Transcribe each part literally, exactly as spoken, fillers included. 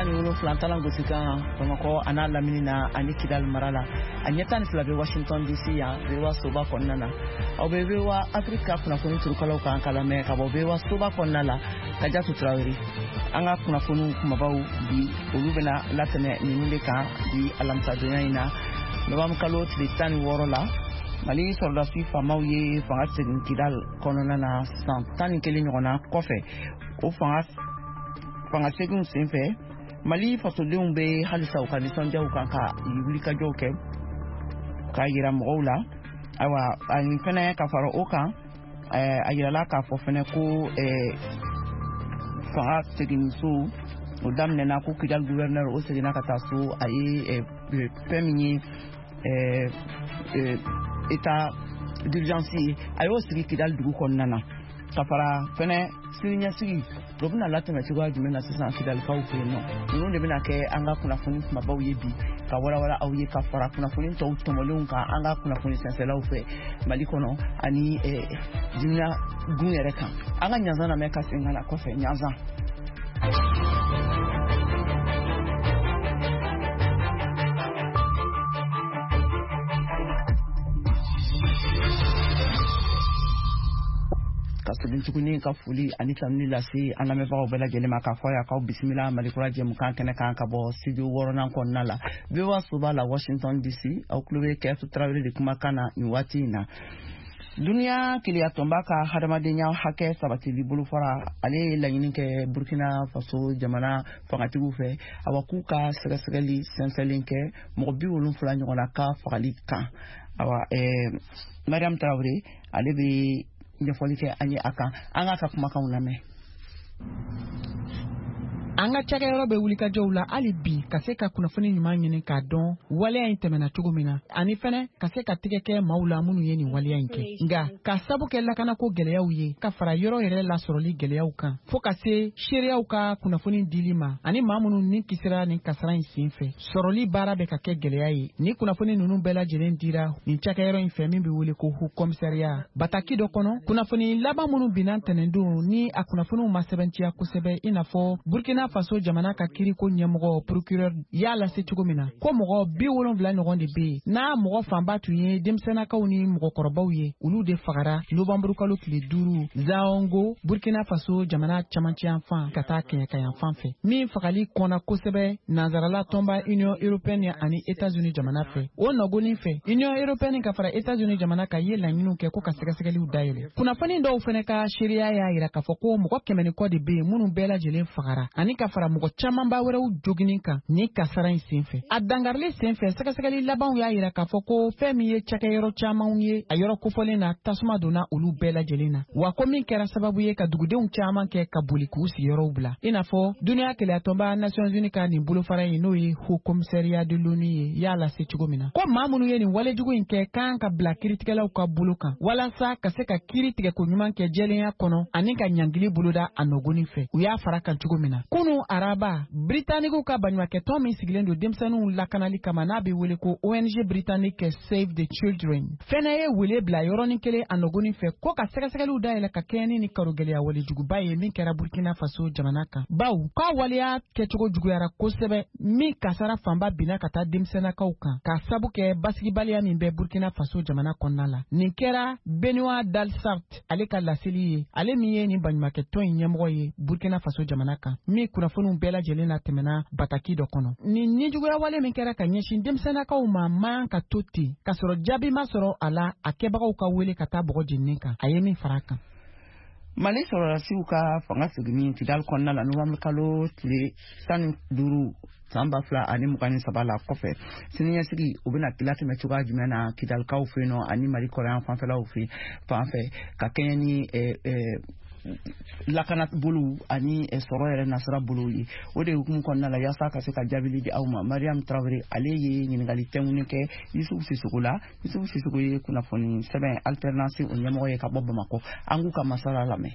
Tan ni wolonfila talan gosi kan Bamakɔ a n'a lamini na ani Kidali mara la, a ɲɛ tan ni fila bɛ Washington D C yan, V O A soba kɔnɔna na. Aw bɛ V O A Afrique ka kunnafoni turukalaw kan ka lamɛn ka bɔ V O A soba kɔnɔna la. Kajatu Tarawele, an ka kunnafoniw kumabaw bi, olu bɛna latɛmɛ ninnu de kan bi alamisadonya in na, nowanburu kalo tile tan ni wɔɔrɔ la. Mali sɔrɔdasi faamaw ye fanga segin Kidal kɔnɔna na san tan ni kelen ɲɔgɔnna kɔfɛ. O fanga fanga seginw senfɛ, Mali fasodenw bɛ halisa u ka nisɔndiyaw kan ka wulikajɔw kɛ k'a yira mɔgɔw la. Ayiwa, ani fɛnɛ ka fara o kan, a yirala k'a fɔ fɛnɛ ko fanga seginso o daminɛna, ko Kidal gouverneur o seginna ka taa so. A ye fɛn min ye état d'urgence ye, a y'o sigi Kidal dugu kɔnɔna na. Ka fara fɛnɛ siniɲɛsigi o bɛna latɛmɛ cogoya jumɛn na sisan Kidalikaw fɛ yen nɔ, ninnu de bɛna kɛ an ka kunnafoni kumabaw ye bi ka walawala aw ye, ka fara kunnafoni tɔw tɔmɔlenw kan an ka kunnafoni sɛnsɛlaw fɛ Mali kɔnɔ ani dunuya gun yɛrɛ kan. An ka ɲanzan lamɛn ka segin ka na kɔfɛ ɲanzan. Ka segin tuguni ka foli ani tanuni lase an lamɛnbagaw bɛɛ lajɛlen ma, k'a fɔ a y'aw bisimila Malikura jɛmukan kɛnɛ kan ka bɔ studio wɔɔrɔnan kɔnɔna la, V O A soba la, Washington D C. Aw tulo bɛ Kɛsu Tarawele de kumakan na nin waati in na. Duniya keleyatɔnba ka hadamadenya hakɛ sabatili bolofara, ale ye laɲini kɛ Burkina Faso jamana fangatigiw fɛ, awa, k'u ka sɛgɛsɛgɛli sɛnsɛnlen kɛ mɔgɔ bi wolonfila ɲɔgɔnna ka fagali kan. Awa, ɛɛ Mariam Tarawele, ale bɛ ɲɛfɔli kɛ an ye a kan. An k'a ka kumakanw lamɛn. An ka cakɛyɔrɔ bɛ wulikajɔw la hali bi ka se ka kunnafoni ɲuman ɲini k'a dɔn waleya in tɛmɛna cogo min na, ani fɛnɛ ka se ka tigɛ kɛ maaw la minnu ye nin waleya in kɛ. Nka ka sabu kɛ lakanako gɛlɛyaw ye, ka fara yɔrɔ yɛrɛ lasɔrɔli gɛlɛyaw kan, fɔɔ ka se seereyaw ka kunnafoni dili ma ani maa minnu ni kisira nin kasara in sen fɛ, sɔrɔli baara bɛ ka kɛ gɛlɛya ye. Ni kunnafoni ninnu bɛɛ lajɛlen dira nin cakɛyɔrɔ in fɛ min bɛ wele ko Haut Commissariat, bataki dɔ kɔnɔ, kunnafoni laban minnu binna ntɛnɛndon ni a kunnafoniw ma sɛbɛntiya kosɛbɛ, i n'a fɔ Burkina Faso jamana ka kiriko ɲɛmɔgɔ procureur y'a lase cogo min na, ko mɔgɔ bi wolonfila ɲɔgɔn de bɛ yen n'a mɔgɔ fanba tun ye denmisɛnnakaw ni mɔgɔkɔrɔbaw ye, olu de fagara nowanburukalo tile duuru Zaongo, Burkina Faso jamana camancɛ ka taa kɛɲɛkayan fan fɛ, min fagali kɔnna kosɛbɛ nansarala tɔnba Union européenne ani États-Unis jamana fɛ. O nɔgɔnin fɛ, Union européenne ka fara États-Unis jamana kan ye laɲiniw kɛ ko ka sɛgɛsɛgɛliw dayɛlɛ. Kunnafoni dɔw fɛnɛ ka seereya y'a yira k'a fɔ ko mɔgɔ kɛmɛ ni kɔ de bɛ yen minnu bɛɛ lajɛlen fagara, ani ka fara mɔgɔ camanba wɛrɛw joginin kan ni kasara in senfɛ. A dangarili senfɛ, sɛgɛsɛgɛli labanw y'a yira k'a fɔ ko fɛn min ye cakɛyɔrɔ camanw ye a yɔrɔ kofɔlen na, tasuma donna olu bɛɛ lajɛlen na, wa ko min kɛra sababu ye ka dugudenw caman kɛ ka boli k'u sigiyɔrɔw bila, i n'a fɔ duniya keleyatɔnba Nations Unies ka nin bolofara in, n'o ye Haut Commissariat de l'ONU ye, y'a lase cogo min na ko maa minnu ye nin walejugu in kɛ kan ka bila kiiritigɛlaw ka bolo kan walasa ka se ka kiiri tigɛko ɲuman kɛ jɛlenya kɔnɔ ani ka ɲangili boloda a nɔgɔnin fɛ, u y'a fara kan cogo min na. Kunu araba, Britanikiw ka baɲumakɛtɔn min sigilen don denmisɛnninw lakanali kama, n'a bɛ wele ko O N G britannique Save the Children, fɛnɛ ye wele bila yɔrɔnin kelen a nɔgɔnin fɛ ko ka sɛgɛsɛgɛliw dayɛlɛ ka kɛɲɛ ni ni karogɛlɛya walejuguba ye min kɛra Burkina Faso jamana kan, baw k'a waleya kɛcogo juguyara kosɛbɛ, min kasara fanba binna ka taa denmisɛnnakaw kan, k'a sabu kɛ basigibaliya min bɛ Burkina Faso jamana kɔnɔna la. Nin kɛra Benoit Delsart ale ka laseli ye, ale min ye nin baɲumakɛtɔn in ɲɛmɔgɔ ye Burkina Faso jamana kan, min kunnafoniw bɛɛ lajɛlen na tɛmɛna bataki dɔ kɔnɔ. Nin nijuguya wale min kɛra ka ɲɛsin denmisɛnnakaw ma man ka to ten k'a sɔrɔ jaabi ma sɔrɔ a la, a kɛbagaw ka wele ka taa bɔgɔ jeninen kan, a ye min fara a kan. Mali sɔrɔdasiw ka fanga seginni Kidali kɔnɔna la nowanburu kalo tile tan ni duuru san ba fila ani mugan ni saba la kɔfɛ, siniɲɛsigi o bɛna latɛmɛ cogoya jumɛn na Kidalikaw fɛ yen nɔ ani Mali kɔrɔyan fanfɛlaw fɛ fan fɛ, ka kɛɲɛ ni lakana bolow ani sɔrɔ yɛrɛ nasira bolow ye? O de hukumu kɔnɔna la, yaasa ka se ka jaabili di aw ma, Mariam Tarawele, ale ye ɲininkali tɛŋuni kɛ Yusufu Sisoko la. Yusufu Sisoko ye kunnafoni sɛbɛn Alternance o ɲɛmɔgɔ ye ka bɔ Bamakɔ. An k'u ka masala lamɛn.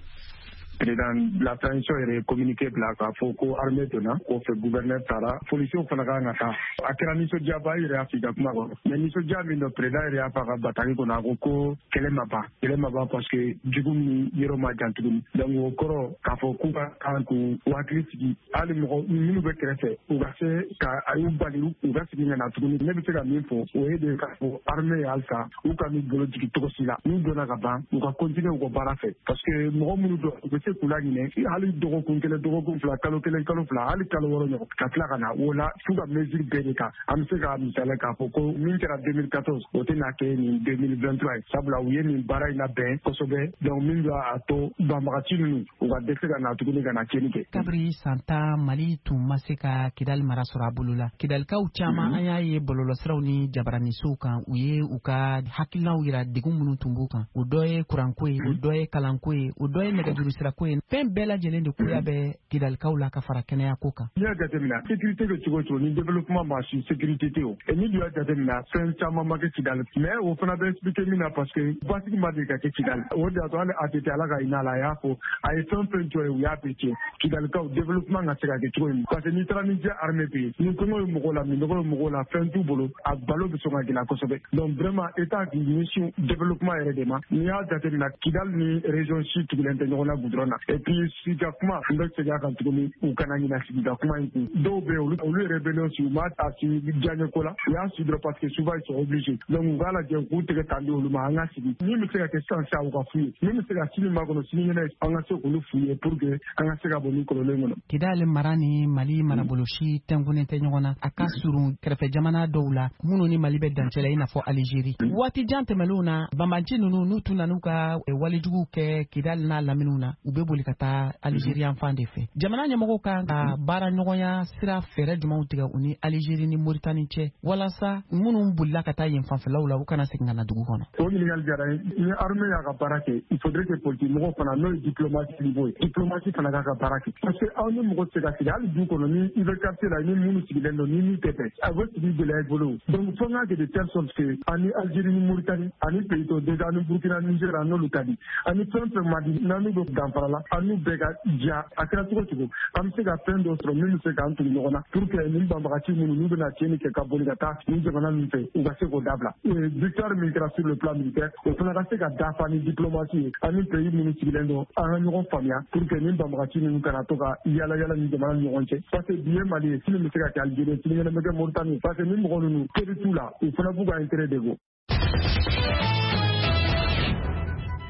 Président de la transition yɛrɛ ye communiqué bila k'a fɔ ko armée donna kɔfɛ, gouverneur taara, policiers fana kan ka taa. A kɛra nisɔndiyaba, i yɛrɛ y'a f'i ka kuma kɔnɔ, mais nisɔndiya min don, président yɛrɛ y'a fɔ a ka bataki kɔnɔ, a ko ko kɛlɛ ma ban, kɛlɛ ma ban, parce que jugu ni yɔrɔ ma jan tuguni. Donc o kɔrɔ k'a fɔ k'u ka kan k'u hakili sigi, hali mɔgɔ minnu bɛ kɛrɛfɛ, u ka se ka a y'u bali u ka segin ka na tuguni. Ne bɛ se ka min fɔ, o ye de k'a fɔ armée ye halisa u ka n'u bolo jigin cogo si la. N'u donna ka ban, u ka continuer u ka baara fɛ, parce que mɔgɔ minnu don, u bɛ se k'u laɲinɛ hali dɔgɔkun kelen, dɔgɔkun fila, kalo kelen, kalo fila, hali kalo wɔɔrɔ ɲɔgɔn, ka tila ka na o la f'u ka mesure bɛɛ de ta. An bɛ se ka misaliya k'a fɔ ko min kɛra deux mille quatorze, o tɛna kɛ nin deux mille vingt-trois ye, sabula u ye nin baara in labɛn kosɛbɛ. Donc min b'a to banbagaci ninnu u ka dɛsɛ ka na tuguni ka na tiɲɛni kɛ. Kabiri san tan, Mali tun ma se ka Kidali mara sɔrɔ a bolo la. Kidalikaw caman, an y'a ye bɔlɔlɔsiraw ni jabaranisow kan, u ye u ka hakilinaw yira degun minnu tun b'u kan. O dɔ ye kuranko ye, o dɔ ye kalanko ye, o dɔ ye nɛgɛjuru sirako ye. Fɛn bɛɛ lajɛlen de koya bɛ Kidalikaw la ka fara kɛnɛyako kan. N'i y'a jateminɛ, sécurité bɛ cogo o cogo, ni développement ma su, sécurité tɛ o. Et ni dun y'a jateminɛ, fɛn caman ma kɛ Kidali, mais o fana bɛ expliquer min na, parce que basigi ma deli ka kɛ Kidali. O de y'a to hali A T T, Ala ka hinɛ a la, a y'a fɔ a ye fɛn fɛn jɔ ye, u y'a bɛɛ tiɲɛ. Kidalikaw, développement ka se ka kɛ cogo min, parce que n'i taara ni diɲɛ armée bɛ yen, ni kɔngɔ ye mɔgɔw la, minɔgɔ ye mɔgɔw la, fɛn t'u bolo, a balo bɛ sɔn ka gɛlɛya kosɛbɛ. Donc vraiment, état k'i ɲɛsin développement yɛrɛ de ma. N'i y'a jateminɛ, Kidali ni région si tugulen tɛ ɲɔgɔn na goudron na. Et puis sigika kuma, n bɛ segin a kan tuguni, u kana ɲinɛ sigika kuma in kun. Dɔw bɛ yen, olu olu yɛrɛ bɛ n'o sigi, u ma a sigi diyaɲɛ ko la, u y'a sigi dɔrɔn parce que souvent ils sont obligés. Donc u k'a lajɛ, u k'u tɛgɛ tan di olu ma, an ka sigi. Min bɛ se ka kɛ sisan sisan, u ka f'u ye. Min bɛ se ka sini makɔnɔ, sinikɛnɛ, an ka se k'olu f'u ye pour que an ka se ka bɔ nin kɔlɔlɔ in kɔnɔ. Kidali mara ni Mali marabolo si tɛnkunnen tɛ ɲɔgɔn na. A ka surun kɛrɛfɛ jamana dɔw la minnu ni Mali bɛ dancɛ la, i n'a fɔ Alizeri. Waati jan tɛmɛnlenw na, banbanci ninnu, n'u tun nan'u ka walejuguw kɛ Kidali n'a laminiw na, u bɛ boli ka taa Alizeri yan fan de fɛ. Jamana ɲɛmɔgɔw kan ka baara ɲɔgɔnya sira fɛɛrɛ jumɛnw tigɛ u ni Alizeri ni Moritani cɛ, walasa minnu bolila ka taa yen fanfɛlaw la, u kana segin ka na dugu kɔnɔ? O ɲininkali diyara n ye. Ni armée y'a ka baara kɛ, il faudrait que politique mɔgɔw fana, n'o ye diplomatie niveau ye, diplomatie fana k'a ka baara kɛ, parce que aw ni mɔgɔ tɛ se ka sigi hali du kɔnɔ, ni i bɛ quartier la, ni minnu sigilen don, ni min tɛ bɛn, a bɛ sigi gɛlɛya i bolo. Donc fo n k'a kɛ de telle sorte que ani Algérie ni Mauritanie ani pays tɔw déjà, ani Burkina, Niger, an n'olu ka di, ani fɛn fɛn man di n'an n'u bɛ danfara la, an n'u bɛɛ ka diya. A kɛra cogo cogo, an bɛ se ka fɛn dɔ sɔrɔ min bɛ se k'an tugu ɲɔgɔn na, pour que nin banbagaci minnu n'u bɛna tiɲɛni kɛ ka boli ka taa nin jamana ninnu fɛ, u ka se k'o dabila. Victoire min kɛra sur le plan militaire, o fana ka se ka dafa ni diplomatie ye, ani pays minnu sigilen don, an ka ɲɔgɔn faamuya, pour que nin banbagaci ninnu kana to ka yala yala ni jamana ni ɲɔgɔn cɛ, parce que bi ye Mali ye, sini bɛ se ka kɛ Algérie, sinikɛnɛ bɛ kɛ Mauritanie, parce que ni mɔgɔ ninnu teri t'u la, u fana b'u ka intérêt de bɔ.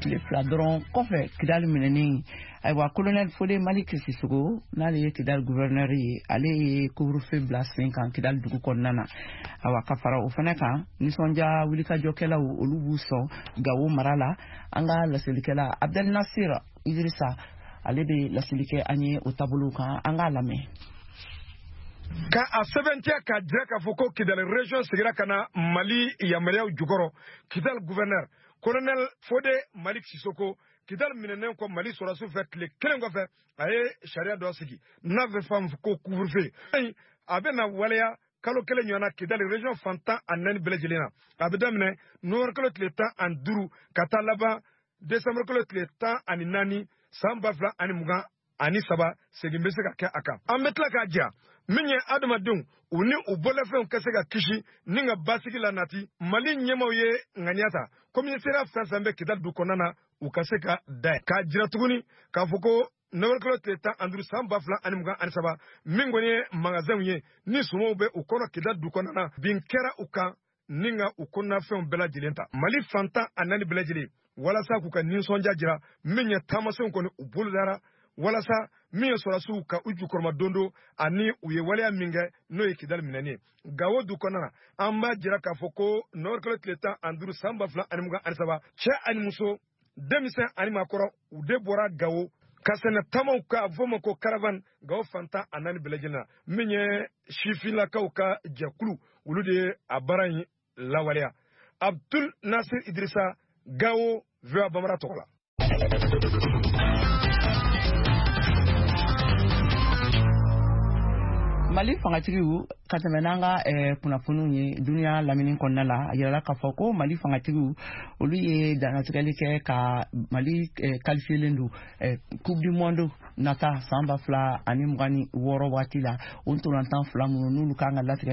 Tile fila dɔrɔn kɔfɛ Kidali minɛni, ayiwa, colonel Fode Malik Sissoco, n'ale ye Kidali gouverneur ye, ale ye couvre-feu bila sen kan Kidali dugu kɔnɔna na. Awa, ka fara o fana kan, nisɔndiya wulikajɔkɛlaw, olu b'u sɔn Gawo mara la. An ka laselikɛla Abdel Nasir Idrissa, ale bɛ laseli kɛ an ye o taabolow kan. An k'a lamɛn. Ka a sɛbɛntiya k'a jira k'a fɔ ko Kidali région sigira ka na Mali yamaruyaw jukɔrɔ, Kidali gouverneur colonel Fode Malik Sisoko, Kidali minɛnen kɔ Mali sɔrɔdasiw fɛ, tile kelen kɔfɛ, a ye sariya dɔ sigi n'a bɛ fɔ a ma ko couvre-feu. A bɛ na waleya kalo kelen ɲɔgɔn na Kidali région fan tan ani naani bɛɛ lajɛlen na. A bɛ daminɛ novembre kalo tile tan ani duuru ka taa laban décembre kalo tile tan ani naani san ba fila ani mugan ani saba. Segin bɛ se ka kɛ a kan. An bɛ tila k'a jira min ye, adamadenw u ni u bolofɛnw ka se ka kisi ni ka basigi la nati. Mali ɲɛmaw ye ŋaniya ta, commissariat fɛn fɛn bɛ Kidali du kɔnɔna na, u ka se ka da k'a jira tuguni k'a fɔ ko novembre kalo tile tan ani duuru san ba fila ani mugan ani saba, min kɔni ye magasinw ye ni sumanw bɛ u kɔnɔ Kidali du kɔnɔna na, bin kɛra u kan ni ka u kɔnɔnafɛnw bɛɛ lajɛlen ta. Mali fan tan ani naani bɛɛ lajɛlen, walasa k'u ka nisɔndiya jira, min ye taamasenw kɔni u bolodara walasa min ye sɔrɔdasiw ka u jukɔrɔma dondo ani u ye waleya min kɛ, n'o ye Kidali minɛni ye Gawo du kɔnɔna na. An b'a jira k'a fɔ ko novembre kalo tile tan ani duuru san ba fila ani mugan ani saba, cɛ ani muso, denmisɛn ani maakɔrɔ, u de bɔra Gawo ka sɛnɛ taamaw ka a fɔ ma ko caravane Gawo fan tan ani naani bɛɛ lajɛlen na. Min ye sifinnakaw ka jɛkulu, olu de ye a baara in lawaleya. Abdul Nasir Idrissa, Gawo, V O A Bambara tɔgɔ la. Mali fangatigiw, ka tɛmɛ n'an ka eh, kunnafoniw ye duniya lamini kɔnɔna la, a yirala k'a fɔ ko Mali fangatigiw, olu ye dannatigɛli kɛ ka Mali eh, qualifielen don eh, Coupe du monde nata san ba fila ani mugan ni wɔɔrɔ waati la. O ntolantan fila minnu n'olu kan ka latigɛ.